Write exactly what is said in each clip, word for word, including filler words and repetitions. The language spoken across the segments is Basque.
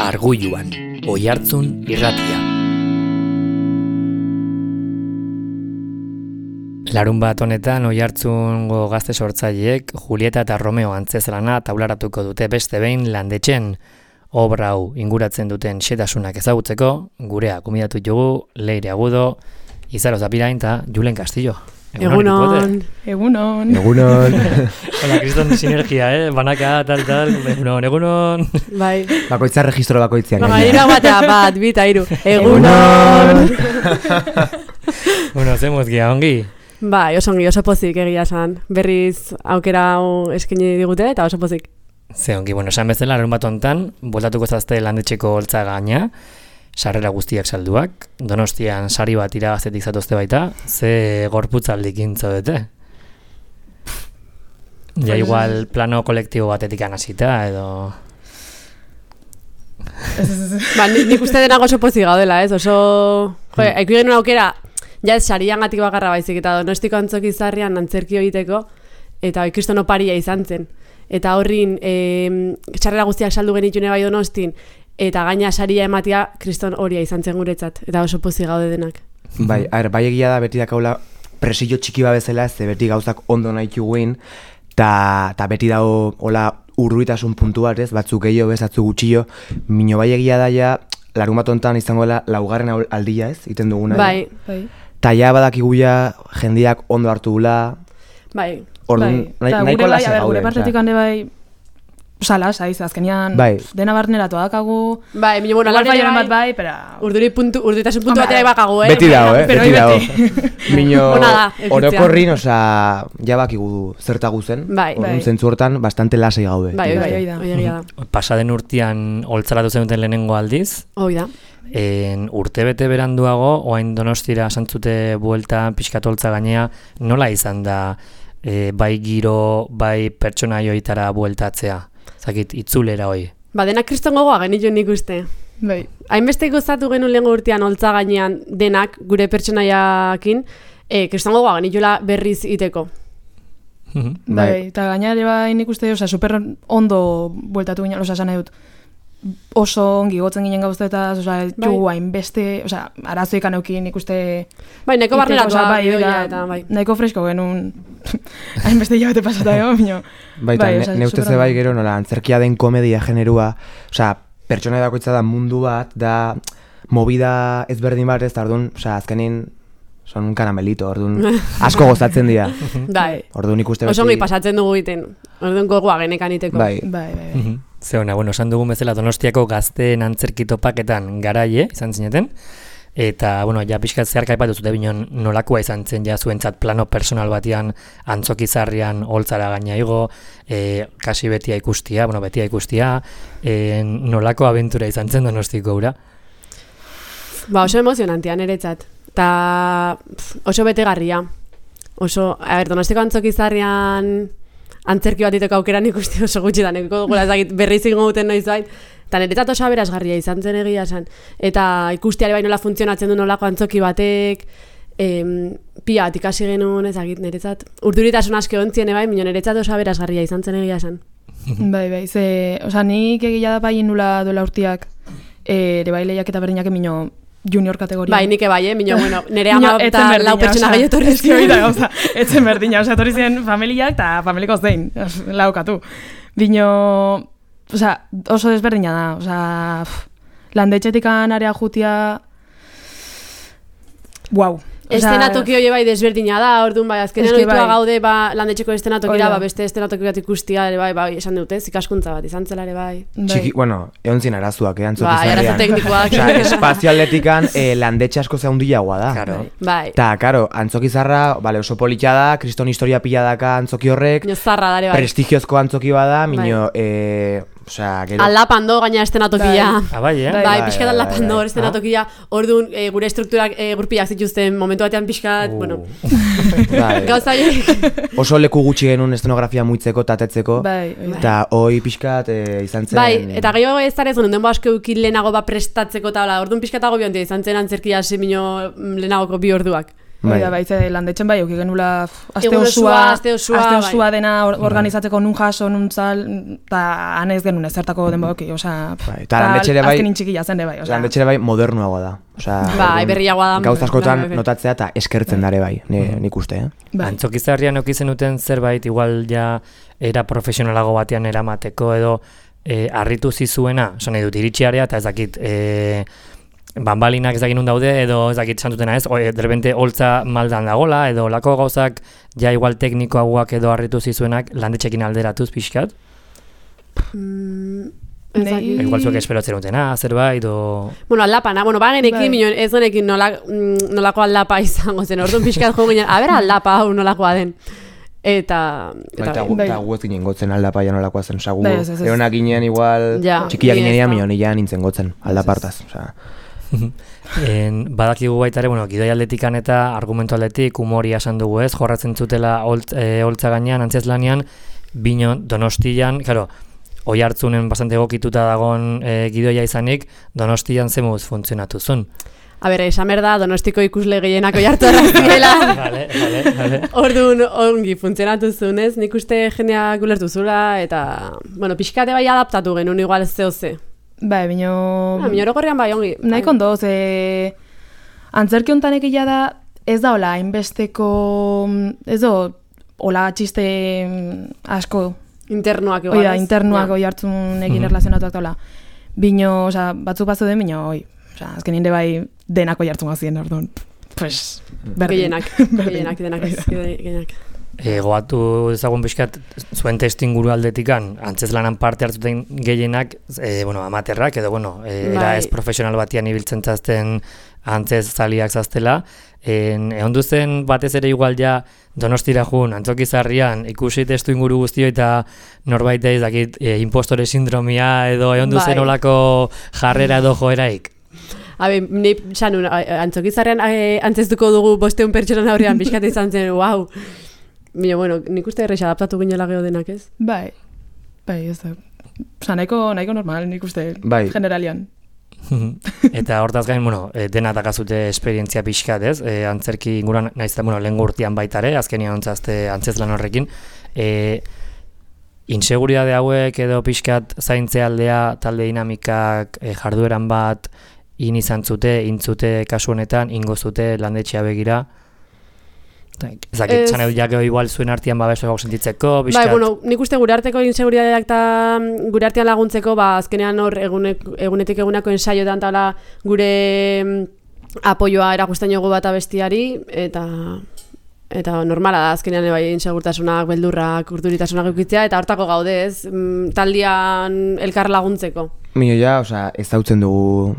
Argulluan, Oihartzun irratia. Larun bat honetan Oihartzungo gazte sortzaileek Julieta eta Romeo antzezlana taularatuko dute beste behin Landetxen. Obra hau inguratzen duten xetasunak ezagutzeko, gurea gomidatu dugu Leire Agudo, Izaro Zapirain eta Julen Castillo. Egunon, egunon. Egunon. Hola, kriston sinergia, eh? Banaka, tal, tal, egunon, egunon. Bai. Bakoitza registro bakoitzean. Baina ira batea, bat, bita, iru. Egunon. Bueno, zemuz gia, ongi? Bai, oso ongi, oso pozik egia esan. Berriz aukera hau eskaini digute eta oso pozik. Ze ongi, bueno, esan bezala, larun bat hontan, bueltatuko zazte Landetxeko holtza gaina, sarrera guztiak salduak, Donostian sari bat irabaztetik zatozte baita, ze gorputzaldikin zaudete? Ja, igual plano kolektibo batetik anasita, edo... Ba, nik uste denak oso pozik gaudela, ez? Oso... Jo, haiku genuen aukera, ja ez sarian gatik bakarra baizik, eta Donostiko antzoki zarrian antzerki egiteko, eta ikriston oparia izan zen. Eta horrin, e, sarrera guztiak saldu genitune bai Donostin, eta gaina saria ematia kriston horia izan zen guretzat, eta oso pozik gaude denak. Bai, a ber, bai egia da beti dakaula presillo txiki babezela, ez beti gauzak ondo nahi txuguin, eta beti dago hola urruitasun puntu bat, ez, batzuk gehiago, ez, batzuk gutxillo, mino bai egia da ja, larun bat hontan izango dela laugarren aldia, ez, iten duguna. Bai, bai. Ta ja badakiguia jendiak ondo hartu gula. Bai. Orduan, bai. nahi, nahiko lasa bai, gaude. Gure partetik hande bai, sala, saiz, azkenean, bai. Dena barneratu adakagu. Bai, minu, bueno, alare bai, bat bai, pero... Urduri puntu, urduritasun puntu batera ibakagu, eh? Beti dago, eh? Beti dago. Mino, da, orokorrin, oza, ja bakigu zertagu zen. Bai, orduan, bai. Zentzu hortan, bastante lasai gaude. Bai, bai, bai, da, oi da. Pasaden urtean holtzaratu zenuten lehenengo aldiz. Hoi da. En urtebete beranduago, oain Donostira santzute buelta pixkat holtza gainea, nola izan da e, bai giro, bai pertsonaioitara bueltatzea? Zakit, itzulera hoi. Ba, denak kriston gogoa genituen nik uste. Bai. Hainbeste gozatu genuen lehengo urtean holtza gainean denak, gure pertsonaiakin, e, kriston gogoa genituela berriz iteko. Bai, eta gainare bai nik uste, oza, super ondo bueltatu ginen, oza, esan nahi dut. Oso ongi gotzen ginen gauztetaz, oza, jugu hainbeste, oza, arazoik aneukin ikuste... Bai, nahiko barneratu bai, eta bai. Nahiko fresko genuen hainbeste hilabete pasata ego, minio. Bai, eta bai, ne ustez bai gero, nola, antzerkia den komedia generua, oza, pertsona dakoitza da mundu bat, da movida ezberdin bat ez, da orduan, oza, azkenin, son un karamelito, orduan, asko gozatzen dira. Bai. Orduan ikuste beti... Oso ongi pasatzen dugu egiten, orduan gogoa genekan iteko. Bai, bai, bai. Zeona, bueno, esan dugun bezala Donostiako gazteen antzerkitopaketan garaie izan zineten, eta, bueno, ja pixkat zeharka aipatu zute binon nolakoa izan zen ja zuentzat plano personal batian antzokizarrian holtzara gaina igo, e, kasi betia ikustia, bueno, betia ikustia, e, nolako abentura izan zen Donostiko ura? Ba, oso emozionantia niretzat, eta oso betegarria. Oso, a ber, Donostiko antzokizarrian antzerki bat iteko aukeran ikusti oso gutxi da, nekiko dugula ezagit berriz ingo duten noiz bait, eta niretzat oso aberasgarria izan zen egia esan. Eta ikustiare bai nola funtzionatzen du nolako antzoki batek, em, pia bat ikasi genuen ezagit niretzat. Urduritasun aske ontzien bai, mino niretzat oso aberasgarria izan zen egia esan. Bai, bai, ze, oza, nik egia da bai nula duela urtiak, ere bai lehiak eta berdinak emino junior kategoria. Bai, nike bai, eh? Mino, bueno, nire ama eta lau pertsona gehiago torri ziren. Gauza, etzen berdina, oza, torri ziren familiak eta familiko zein, laukatu. Bino, oza, oso desberdina da, oza, Landetxetikan area jutia, guau. Estenatoki hori bai desberdina da, orduan bai, azkenean oitua gaude ba, Landetxeko estenatokira, ba, beste estenatoki bat ikustia, ere bai, bai, esan dute, ikaskuntza bat, izan zela ere bai. Txiki, bueno, egon zin arazuak, eh, antzokizarrian. Bai, arazu teknikoak. Osa, espazio atletikan eh, Landetxe asko zaundiagoa da. Claro. Bai. Ta, karo, antzokizarra, vale, oso politia da, kriston historia pila daka antzoki horrek, zarra dare bai. Prestigiozko antzoki bada, mino, bai. eh, Osea, gero... Aldapando gaina estenatokia. Ah, bai, eh? Bai, bai, pixkat aldapando hor estenatokia. Orduan, e, gure estrukturak e, gurpiak zituzten momentu batean pixkat, uh. bueno... Bai. Gauza horiek. Oso leku gutxi genuen estenografia muitzeko, tatetzeko. Bai, eta hoi pixkat e, izan zen... Bai, eta gehiago ez zarez genuen denbo asko eukin lehenago ba prestatzeko eta orduan pixkatago biontia izan zen antzerkia semino lehenagoko bi orduak. Bai, da, baitze landetxen bai, euki genula aste Egun osua, osua, aste osua, aste bai. osua dena or- organizatzeko nun jaso, nun zal, eta anez genuen ezertako denboki, osea, Bai, eta landetxere bai, azkenin txikila zen de bai, osea. landetxere bai modernuagoa da. Osea, Bai, orduan, berriagoa da. Gauza askotan Bai, bai. notatzea eta eskertzen dare bai, ni, nik uste, eh? Bai. Antzokizarrian eukizen duten zerbait, igual ja era profesionalago batean eramateko edo e, harritu zizuena, esan nahi dut, iritsiarea eta ez dakit, e, banbalinak ez dakit nun daude, edo ez dakit santutena ez, o, e, derbente holtza maldan dagola, edo lako gauzak ja igual teknikoagoak edo harritu zizuenak landetxekin alderatuz pixkat? Mm, Nei- ez dakit. Igual zuek esperatzen dutena, zerbait, o... Bueno, aldapana, bueno, bagenekin, Bai. minon, ez genekin nola, mm, nolako aldapa izango zen, orduan pixkat jo ginen, a ber aldapa hau nolakoa den. Eta... Bai, eta eta gu, bai. eta gu ez ginen gotzen aldapaia nolakoa zen, oza, gu Bai, ez, ez, ez. eronak ginen igual, Ja, txikia ni ginen ez ja, da. mio nila nintzen gotzen, aldapartaz, osea. En, badakigu baita ere, bueno, gidoi aldetikan eta argumentu aldetik humoria esan dugu ez, jorratzen zutela holt, e, holtza gainean, antzezlanean, bino Donostian, claro, oi hartzunen bastante egokituta dagon e, gidoia izanik, Donostian zemuz funtzionatu zuen. A ber, esan berda, Donostiko ikusle gehienak oihartu erraztiela. Vale, vale, vale. Orduan ongi funtzionatu zunez, nik uste jendeak ulertu zula, eta, bueno, pixkate bai adaptatu genuen igual zeo ze. Bai, bino... Ah, minorogorrian bai, ongi. Nahiko ondo, ze... Antzerki hontan egia da, ez da hola, hainbesteko... Ez da, hola txiste asko... Internuak igual, Oida, ez? internuak Ja. oi hartzunekin erlazionatuak daula. Bino, oza, batzuk batzu den, bino, oi. Oza, azken nire bai denak oi hartzun gazien, orduan. Pues, berdin. Gehienak, gehienak, denak ez, gehienak. E, goatu dezagun pixkat zuen testinguru aldetikan, antzezlanan parte hartzuten gehienak, e, bueno, amaterrak, edo, bueno, e, era Bai. ez profesional batian ibiltzen zazten antzez zaliak zaztela. En, egon duzen batez ere igual ja Donostira jun, Antzokizarrian, ikusi testu inguru guztio eta norbait ez dakit e, impostore sindromia edo egon duzen Bai. olako jarrera edo joeraik. Habe, ni sanun, Antzokizarrean eh, antzeztuko dugu bosteun pertsonan aurrean pixkat izan zen, wow. Bino, bueno, nik uste errex adaptatu ginela geho denak, ez? Bai, bai, ez da. Oza, nahiko, nahiko normal, nik uste, Bai. generalian. Eta hortaz gain, bueno, e, dena dakazute esperientzia pixkat, ez? E, antzerki inguruan, naiz eta, bueno, lehen urtean baitare, azkenian ontzazte antzezlan horrekin. E, inseguridade hauek edo pixkat zaintze aldea, talde dinamikak, e, jardueran bat, in izan zute, intzute kasu honetan, ingo zute landetxea begira. Ezakit, Ez- txan edo jakeo igual zuen artean babesoak sentitzeko, Bai, pixkat. bueno, nik uste gure arteko inseguridadeak eta gure artean laguntzeko, ba, azkenean hor egunek, egunetik egunako ensaioetan tala gure mm, apoioa erakusten jogu bat abestiari, eta eta normala da, azkenean bai insegurtasunak, beldurrak, urduritasunak eukitzea, eta hortako gaude ez, mm, taldian elkar laguntzeko. Mio ja, osea, ez dautzen dugu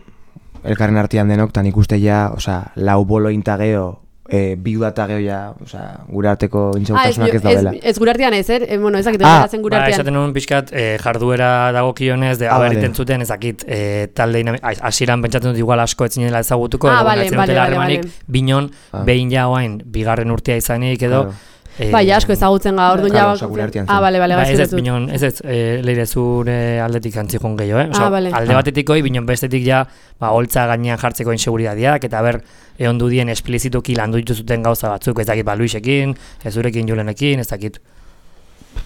elkarren artean denok, eta nik uste ja, osea, lau bolo intageo, e, bi udata geo ja, osea, gure arteko intsegurtasunak ez daudela. ez, ez gure artean ez, eh? E, bueno, ezakit, Ah, ez gure Ba, artean. esaten nuen pixkat, e, jarduera dagokionez, de Ah, haber vale. iten zuten ezakit, e, talde dinami- a- hasieran pentsatzen dut igual asko etzinela ezagutuko, Ah, edo vale, etzen vale, dutela vale, harremanik, vale. binon, Ah. behin ja oain, bigarren urtea izanik, edo... Claro. e, Bai, asko ezagutzen ga, orduan Claro, ja... osea, gure artean Ah, zen. bale, bale, Ba, bai, ez ez, zuretu. binon, ez ez, e, leire zure aldetik antzikon gehiago, eh? Osa, Ah, bale. alde batetik hoi, binon bestetik ja, ba, holtza gainean jartzeko inseguridadeak, eta ber, egon du dien esplizituki landu dituzuten gauza batzuk, ez dakit, ba, Luisekin, ez zurekin Julenekin, ez dakit.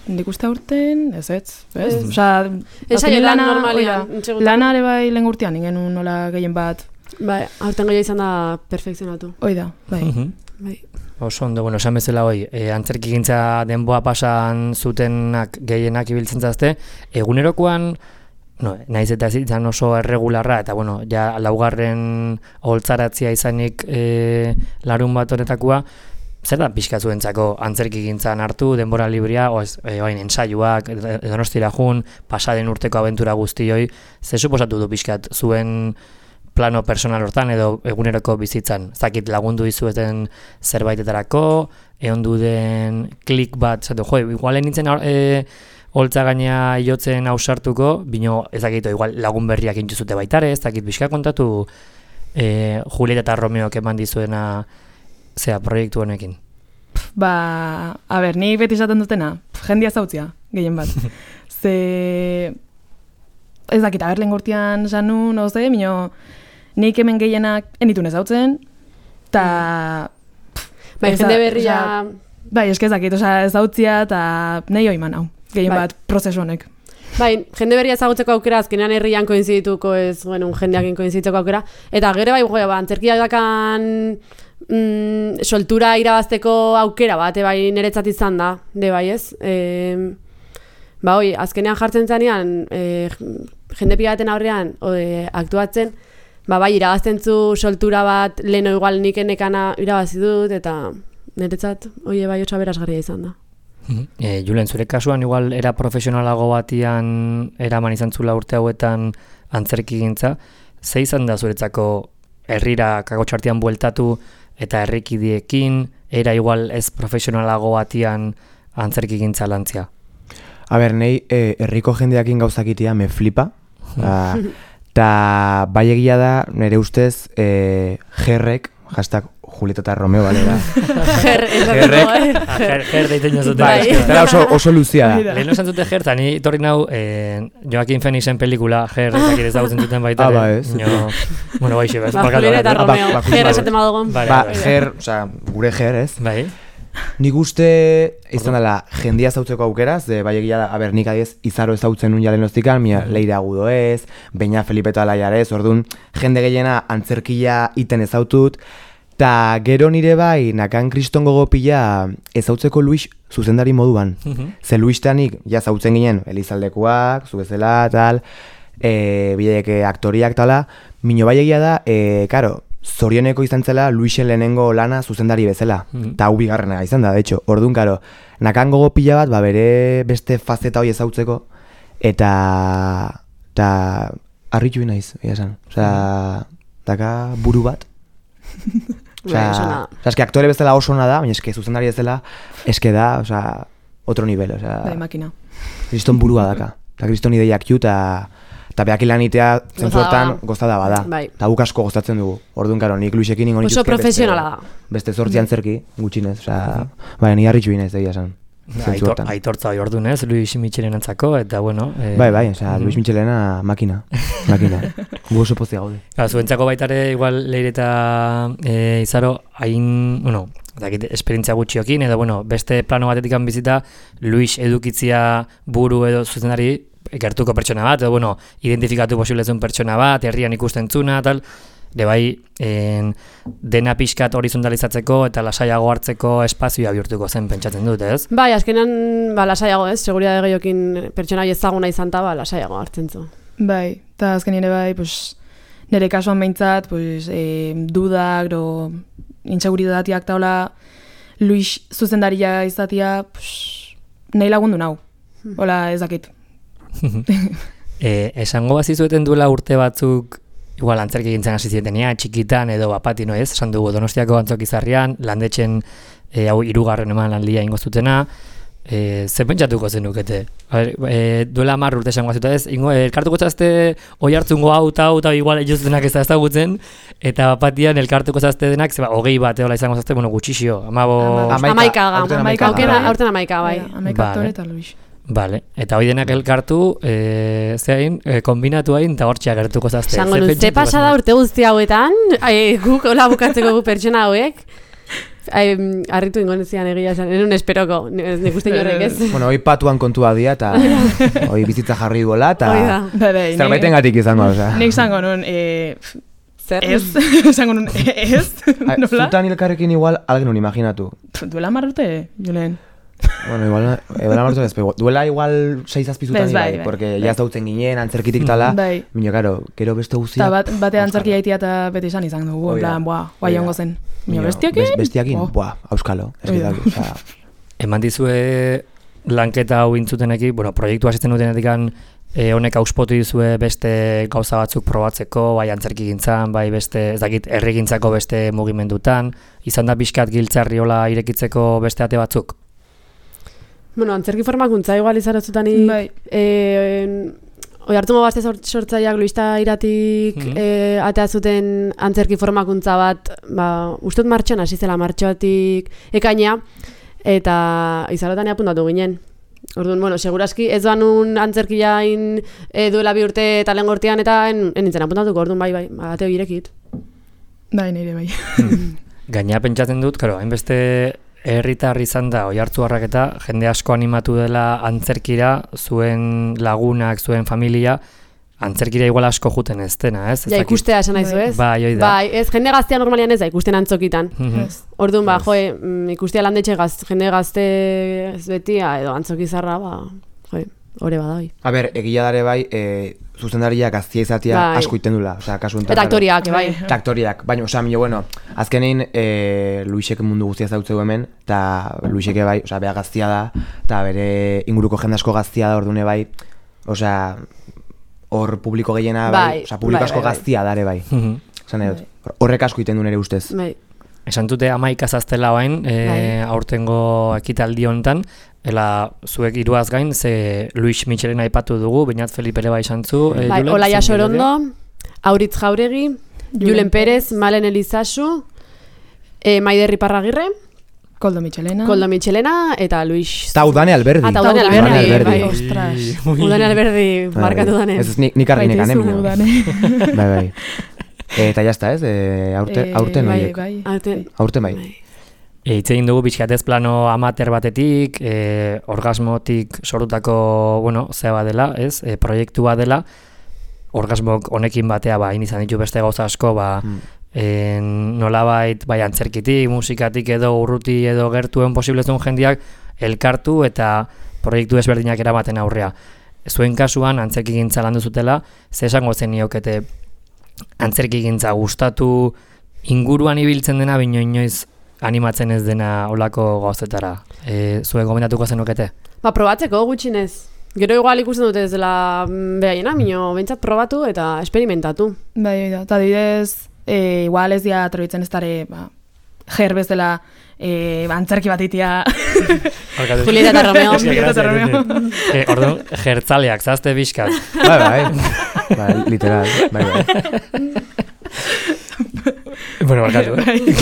Nik uste urten, ez ez, ez? Ez. Osa, Ensaio azkenin lan lana, normalean, oida, insegurtasun- lana ere bai lehen urtean, ingen nola gehien bat, Bai, aurten gehiago izan da perfekzionatu. oida, bai. Mhm. Bai. Oso ondo, bueno, esan bezala hoi, e, antzerkigintza denboa pasan zutenak gehienak ibiltzen zazte, egunerokoan, no, naiz eta ez izan oso erregularra, eta bueno, ja laugarren holtzaratzia izanik e, larun bat horretakoa, zer da pixka zuentzako antzerkigintzan hartu, denbora librea, oez, e, oain ensaiuak, Donostira jun, pasaden urteko abentura guztioi, ze suposatu du pixkat zuen plano personal hortan edo eguneroko bizitzan. Zakit lagundu dizueten zerbaitetarako, egon du den klik bat, zatu, jo, igualen nintzen e, holtza gaina jotzen ausartuko, bino ezakito igual lagun berriak intuzute baitare, ez dakit bizka kontatu e, Julieta eta Romeok eman dizuena zea proiektu honekin. Ba, a ber, ni beti esaten dutena, jendia zautzia, gehien bat. Ze, ez dakit, aber lehen gortian zanun, oze, mino, nik hemen gehienak enitun ezautzen, eta Bai, jende berria... Bai, eskezakit, oza, ez dautzia eta nahi oiman hau, gehien bai. bat prozesu honek. Bai, jende berria ezagutzeko aukera, azkenean herrian koinzidituko ez, bueno, jendeakin koinziditzeko aukera, eta gero bai, ba, antzerkia dakan mm, soltura irabazteko aukera bat, e, bai, niretzat izan da, de bai ez, e, ba, oi, azkenean jartzen zanean, e, jende pilaten aurrean, o, e, aktuatzen, ba, bai, irabazten zu soltura bat, leno igual nikenekana irabazi dut, eta niretzat, oie, bai, otsa berazgarria izan da. E, Julen, zure kasuan igual era profesionalago batian eraman izan zula urte hauetan antzerkigintza, ze izan da zuretzako herrira kakotxartian bueltatu eta herrikidiekin, era igual ez profesionalago batian antzerkigintza lantzia? A ber, nei eh, herriko jendeakin gauzakitia me flipa, eta bai egia da nire ustez eh, jerrek, hashtag Julieta eta Romeo, bale da. Ger, Gerrek, ger, ger deiten jozute. Bai, eta oso, oso luzia da. Leheno esan zute ger, eta ni torri nau eh, Joaquin Phoenixen pelikula ger ezakit ezagutzen zuten baita. Ah, ba, ez. No, bueno, bai, xe, bez. Ba, Julieta eta Romeo, ba, ba, ger ba, esaten badugun. Vale, Ba, vale. ger, oza, gure ger, ez? Bai. Nik uste izan dela jendia zautzeko aukeraz, de bai egia da, a ber, nik adiez izaro ezautzen nun jalen oztikan, mia Leire Agudo ez, Beña Felipe eta Alaiar ez, orduan jende gehiena antzerkia iten ezautut, eta gero nire bai, nakan kriston gogo pila ezautzeko Luis zuzendari moduan. Ze Luistanik, ja zautzen ginen, Elizaldekoak, zu bezala, tal, e, bideek aktoriak, tala, mino bai egia da, e, karo, zorioneko izan zela Luisen lehenengo lana zuzendari bezala. Eta hau bigarrena izan da, de hecho. Orduan, karo, nakan gogo pila bat, ba, bere beste fazeta hori ezautzeko, eta, eta harritu naiz, egia esan. Osea, daka buru bat. Osea, osea, eske aktore bezala oso ona da, baina eske zuzendari bezala, eske da, osea, otro nivel, osea. Bai, makina. Kriston burua daka. Eta kriston ideiak ju, eta eta behak ilanitea zentzuetan gozada bada. Bai. Eta guk asko gozatzen dugu. Orduan, karo, nik Luisekin ingo nituzke Oso profesionala da. beste zortzi antzerki, gutxinez, osea, baina ni harritxu inez, egia esan. Aitor, aitortza hori orduan ez, Luis Michelen antzako, eta bueno... Eh, bai, bai, osea, Luis Michelena makina, makina. Gu oso pozia gaude. Ba, zuentzako baitare, igual, Leire eta e, Izaro, hain, bueno, dakit, esperientzia gutxiokin, edo, bueno, beste plano batetik bizita, Luis edukitzia buru edo zuzendari gertuko pertsona bat, edo, bueno, identifikatu posiblezun pertsona bat, herrian ikusten zuna, tal, de bai, en, dena pixkat horizontalizatzeko eta lasaiago hartzeko espazioa bihurtuko zen pentsatzen dut, ez? Bai, azkenan, ba, lasaiago ez, seguridade gehiokin pertsona ezaguna izan ta, ba, lasaiago hartzen zu. Bai, eta azken ere bai, pues, nire kasuan behintzat, pues, eh, dudak, do, inseguridatiak taula, Luis zuzendaria izatia, pues, nahi lagundu nau. Hola, ez dakit. e, esango bazizueten duela urte batzuk, igual antzerki gintzen hasi zietenia, txikitan edo bapati, no ez? Esan dugu Donostiako Antzokizarrian, landetxen e, hau hirugarren eman landia ingo zutena, e, ze pentsatuko zenukete? E, duela hamar urte esango bazitu ez, ingo, elkartuko zazte oi hartzungo hau eta hau eta igual ejuzutenak ez da ezagutzen, eta bapatian elkartuko zazte denak, zeba, hogei bat eola izango zazte, bueno, gutxixio, amabo... Amaika, amaika, aurten amaika, bai. Amaika aktore eta Luis. Vale, eta hoi denak elkartu, e, zein, e, kombinatu hain, eta hortxea gertuko zazte. Zango nun, ze pasada urte guzti hauetan, ai, guk hola bukatzeko gu pertsona hauek, ai, harritu ingo nezian egia esan, enun esperoko, nik uste inorrek ez. Bueno, hoi patuan kontua dia, eta hoi bizitza jarri gola, eta zerbaiten gatik izango, osea. Nik zango nun, e, zer? Ez, zango nun, ez, nola? Zutan hilkarrekin igual, algenun imaginatu. Duela marrute, Julen. Bueno, igual, duela martu ez, duela igual seis azpizutan bai, bai, bai, porque bai. ya zautzen ginen, antzerkitik tala, Bai. minio, karo, gero beste guztia... Eta bat, bate antzerkia itia eta beti esan izan dugu, en plan, buah, guai ongo zen. Minio, bestiakin? Bestiakin, oh. buah, auskalo, ez Oida. gidak, osea... Eman dizue lanketa hau intzuteneki, bueno, proiektu asisten dutenetikan, e, honek auspotu dizue beste gauza batzuk probatzeko, bai antzerki gintzan, bai beste, ez dakit, herrigintzako beste mugimendutan, izan da pixkat giltzarri hola irekitzeko beste ate batzuk? Bueno, antzerki formakuntza igual izarotzutan Bai. eh, oi hartungo gazte sortzaileak Luista iratik Mhm. eh, atea zuten antzerki formakuntza bat, ba, ustut martxoan hasi zela martxoatik ekaina, eta izarotan apuntatu ginen. Orduan, bueno, seguraski ez doan un antzerkiain e, duela bi urte eta lehen gortean eta en, en nintzen apuntatuko, orduan bai, bai, ateo irekit. Bai, nire bai. Gaina pentsatzen dut, karo, hainbeste herritar izan da, Oiartzuarrak eta jende asko animatu dela antzerkira, zuen lagunak, zuen familia, antzerkira igual asko juten ez dena, ez? Ja, ikustea esan naizu, ez? Bai, oi da. Bai, ez, jende gaztea normalian ez da, ikusten antzokitan. Orduan, ba, joe, ikustea landetxe gaz, jende gazte ez betia, edo antzokizarra, ba, joe, hori badai. A ber, egia dare bai, e, zuzendaria gaztia izatea bai. asko iten dula. Osa, kasu enten, Eta aktoriak, bai. Eta aktoriak, baina, osa, milo, bueno, azkenein e, Luisek mundu guztia zautzeu hemen, eta Luiseke bai, osa, bea gaztia da, eta bere inguruko jende asko gaztia da, ordune bai, osa, hor publiko gehiena bai, bai osa, publiko bai, asko bai, bai. gaztia dare bai. Zan edot, horrek asko iten du nere ustez. Bai. Esan dute amaika zaztela bain, e, Bai. aurtengo ekitaldi honetan, ela zuek hiruaz gain, ze Luis Michelena aipatu dugu, Beñat Felipe ere bai santzu. E, Bai, Julen, Olaia zein Sorondo, bidea? Auritz Jauregi, Julen Pérez, Malen Elizasu, e, Maider Iparragirre, Koldo Michelena. Koldo Michelena eta Luis... Eta Udane Alberdi. Ah, eta Udane Alberdi, Udane Alberdi. bai. Ostras. Udane Alberdi markatu dane. Ez ez nik, nik argi nekan, Baitizu, Udane. Bai, bai. Eta jazta ez, e, aurte, Eh, aurten bai, horiek. bai. Aurten, Aurten bai. E, hitz egin dugu bizkatez plano amater batetik, e, orgasmotik sorutako, bueno, zea badela, ez, e, proiektua dela, orgasmok honekin batea, ba, hain izan ditu beste gauza asko, ba, Mm. en, nolabait, bai, antzerkitik, musikatik edo urruti edo gertuen posiblezun jendiak elkartu eta proiektu ezberdinak eramaten aurrea. Zuen kasuan, antzerki gintza landu zutela, ze esango zen niokete antzerki gintza gustatu inguruan ibiltzen dena, bino inoiz animatzen ez dena olako gauzetara. E, zuen gomendatuko zenukete? Ba, probatzeko gutxinez. Gero igual ikusten dute ez dela behaiena, mino, bentsat probatu eta esperimentatu. Bai, da. Eta didez, e, igual ez dia atroitzen ez dare, ba, jer bezala, e, antzerki bat itia. Julieta eta Romeo. Julieta eta Romeo. E, orduan, jertzaleak, zazte bizkat. Bai, bai. Bai, literal. Bai, bai. Bueno, barkatu.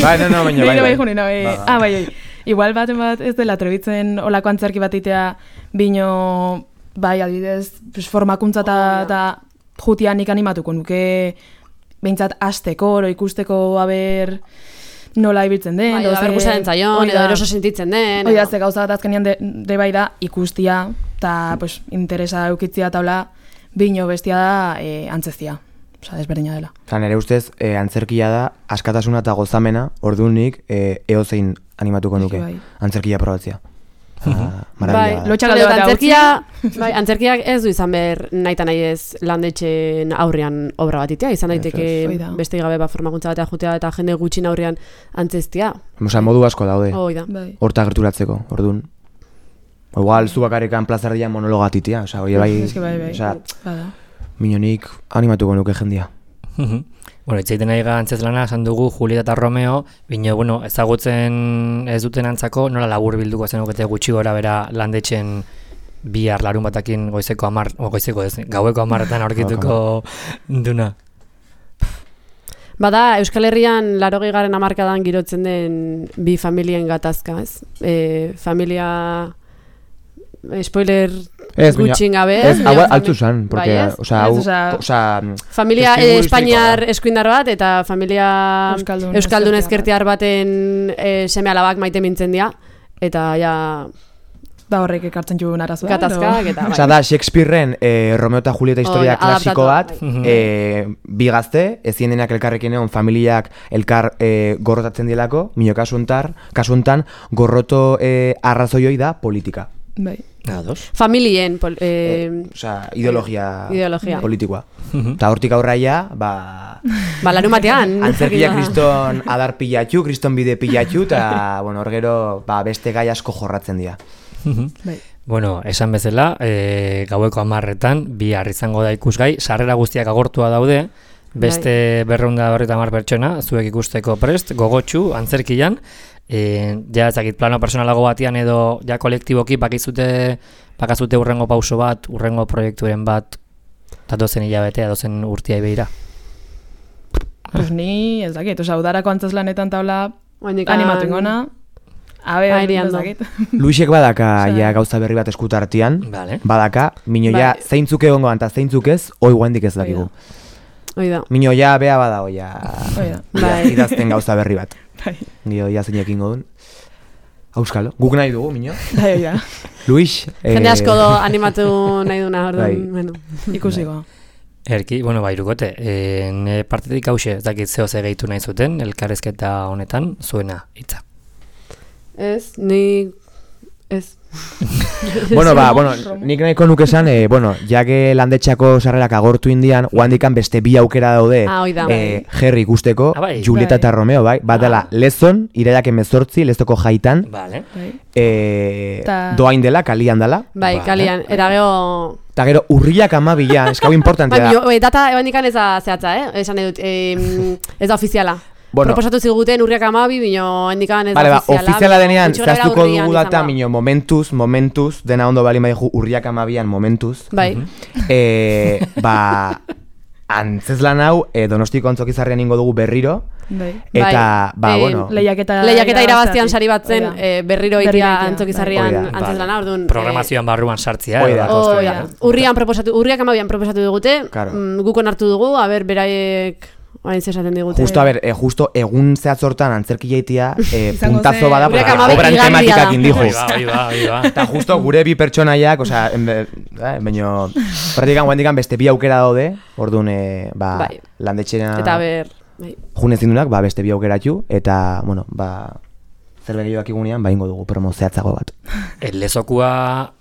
Bai, no, no, baina bai, Bai, bai. bai, bai. Ba, ba. Ah, bai, bai. Igual baten bat ez dela atrebitzen olako antzerki bat itea bino, bai, adibidez, pues, formakuntza eta Oh, eta jutian nik animatuko nuke behintzat asteko, oro ikusteko aber nola ibiltzen den. Bai, edo ze- aber gustatzen zaion, hori edo da. eroso sentitzen den. Hoi da, edo- ze gauza bat azkenean de, de bai da ikustia, eta pues, interesa eukitzia taula bino bestia da e, antzezia. Osa, desberdina dela. Osa, nire ustez, e, antzerkia da, askatasuna eta gozamena, orduan nik e, eozein animatuko nuke. Bai. Antzerkia probatzea. Ah, Bai, maravilla da. lotxakalde Eta bat antzerkia, bai, antzerkiak ez du izan behar nahi eta nahi ez landetxeen aurrean obra bat itea, izan daiteke Hoi da. beste gabe ba, formakuntza batea jutea eta jende gutxin aurrean antzeztia. Osa, modu asko daude, Hoi da. Bai. horta gerturatzeko, orduan. Igual, zu bakarrikan plazardian monologatitia, osa, hori bai, Eske bai, bai. osa, Bada. minonik animatuko nuke jendia. Bueno, itzaiten nahi antzezlana, esan dugu Julieta eta Romeo, bino, bueno, ezagutzen ez duten antzako, nola labur bilduko zenukete gutxi gora bera landetxen bihar larun batakin goizeko amar, o goizeko ez, gaueko amarretan aurkituko duna. Bada, Euskal Herrian larogei garen hamarkadan girotzen den bi familien gatazka, ez? E, familia... Spoiler Ez, baina- gutxin gabe. Ez, baina hau fami- altzu zan, porque, Bai, ez? osa, Ez, hau, osea- osa, Familia testigu eh, Espainiar historikoa da. eskuindar bat eta familia Euskaldun Euskaldun ezkertiar ezkertiar baten e, seme alabak maite mintzen dira. Eta ja Da horrek ekartzen juen arazoa. gatazkak eta bai. Osa, da, Shakespearen eh, Romeo eta Julieta historia Hoi, klasiko bat, adaptatua, eh, bi gazte, ezin denak elkarrekin egon, familiak elkar eh, gorrotatzen dielako, mino kasu hontar, kasu hontan, gorroto eh, arrazoioi da politika. Bai. Ados. Familien pol, eh, Osa, ideologia, ideologia. politikoa. Eta hortik aurraia, ba... ba, larun batean. Antzerkia kriston adar pilatxu, kriston bide pilatxu, eta, bueno, hor gero, ba, beste gai asko jorratzen dira. Bai. Bueno, esan bezala, e, gaueko amarretan, bihar izango da ikusgai, sarrera guztiak agortua daude, beste berreunda berrita hamar pertsona, zuek ikusteko prest, gogotsu, antzerkian, e, ja ezakit plano personalago batian edo ja kolektiboki bakizute, bakazute urrengo pauso bat, urrengo proiekturen bat, eta dozen hilabetea, dozen urtia begira. Pues ni, ez dakit, oza, udarako antzeslanetan taula Oindikan- animatu ingona. A ber, Airean ez do. dakit. Luisek badaka Osea- ja gauza berri bat eskutartian, Vale. badaka, mino ja Bai. zeintzuk egongo eta zeintzuk ez, hoi guendik ez dakigu. Oida. Mino ja, bea bada, oia, Bai. idazten gauza berri bat. Bai. Dio, ia zeinekin godun. Auskalo, guk nahi dugu, Mino. Bai, oida. Luis. Jende eh, asko do animatu nahi duna, orduan, Bai. bueno. Ikusiko. Erki, bueno, bai, irukote, e, ne partetik hause, ez dakit zeo ze gehitu nahi zuten, elkarrezketa honetan, zuena, hitza. Ez, ni... Ez. Bueno, ba, bueno, nik nahiko nuke esan, eh, bueno, jake landetxako sarrerak agortu indian, guandikan beste bi aukera daude Ah, oida. eh, Jerry ikusteko, Ah, bai. Julieta eta Romeo, bai, bat dela Lezon, iraiak emezortzi, Leztoko jaitan, Vale. eh, Ta- doain dela, kalian dela, Bai, Vale. kalian, era geho... eta gero urriak amabilan, eskau importantea Bai, da. jo, e, data ebandikan ez da zehatza, eh? Esan edut, e, ez da ofiziala. Bueno. Proposatu ziguten urriak amabi, bino endikan ez Vale, da ba, ofiziala. ofiziala bino denean, gutxi gorabehera zehaztuko urrian dugu izango data, da. mino, momentuz, momentuz, dena ondo bali maizu urriak amabian momentuz. Bai, Eh, ba, antzeslan hau, eh, Donostiko Antzokizarrean ingo dugu berriro, Bai. eta, Bai, ba, eh, bueno, Lehiaketa lehiaketa irabaztian sari bat zen, Oida. eh, berriro Berriro itia itia, antzokizarrian bai. antzeslana, orduan... Programazioan barruan sartzia. Hoi da. edo Oh, kostu- ja. Urrian proposatu, urriak amabian proposatu digute, Claro. mm, guk onartu dugu, a ber, beraiek orain zesaten digute. justo, a ber, eh, justo egun zehatzortan antzerki jaitia, eh, Izango puntazo zen. bada, Urriak porque hamabi obran igandia tematikak da. indijo. Hoi ba, hoi ba, hoi ba. Eta justo gure bi pertsonaiak, osea, enbe- eh, baino, praktikan guendikan beste bi aukera daude, orduan, eh, ba, Bai. landetxena Eta ber, bai. june zindunak, ba, beste bi aukeratxu, eta, bueno, ba, zerbait gehiagoak igunean, ba, ingo dugu promo zehatzago bat. El lezokua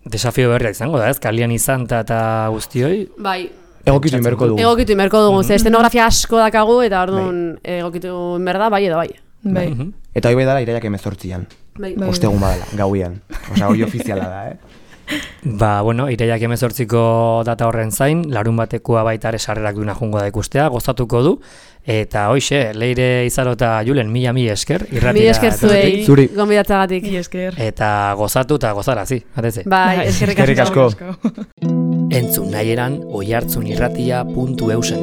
desafio berria izango da, ez? Kalian izan ta eta guztioi. Bai, Egokitu inberko dugu. egokitu inberko dugu, ze estenografia asko dakagu, eta orduan egokitu inberda, bai edo bai. Bai. Mhm. Eta hoi dela iraiak emezortzian, Bai. Bai. ostegun badala, gauian. Osea, hori ofiziala da, eh? Ba, bueno, iraiak emezortziko data horren zain, larun batekoa baita ere sarrerak duna jungo da ikustea, gozatuko du, eta hoixe, Leire Izaro eta Julen, mila mi esker, irratira. Mil esker zuei, Zuri. gonbidatzagatik. Mila esker. Eta gozatu eta gozarazi, bateze. Bai, eskerrik Eskerrik asko. asko. Entzun nahi eran oihartzunirratia puntu eusen.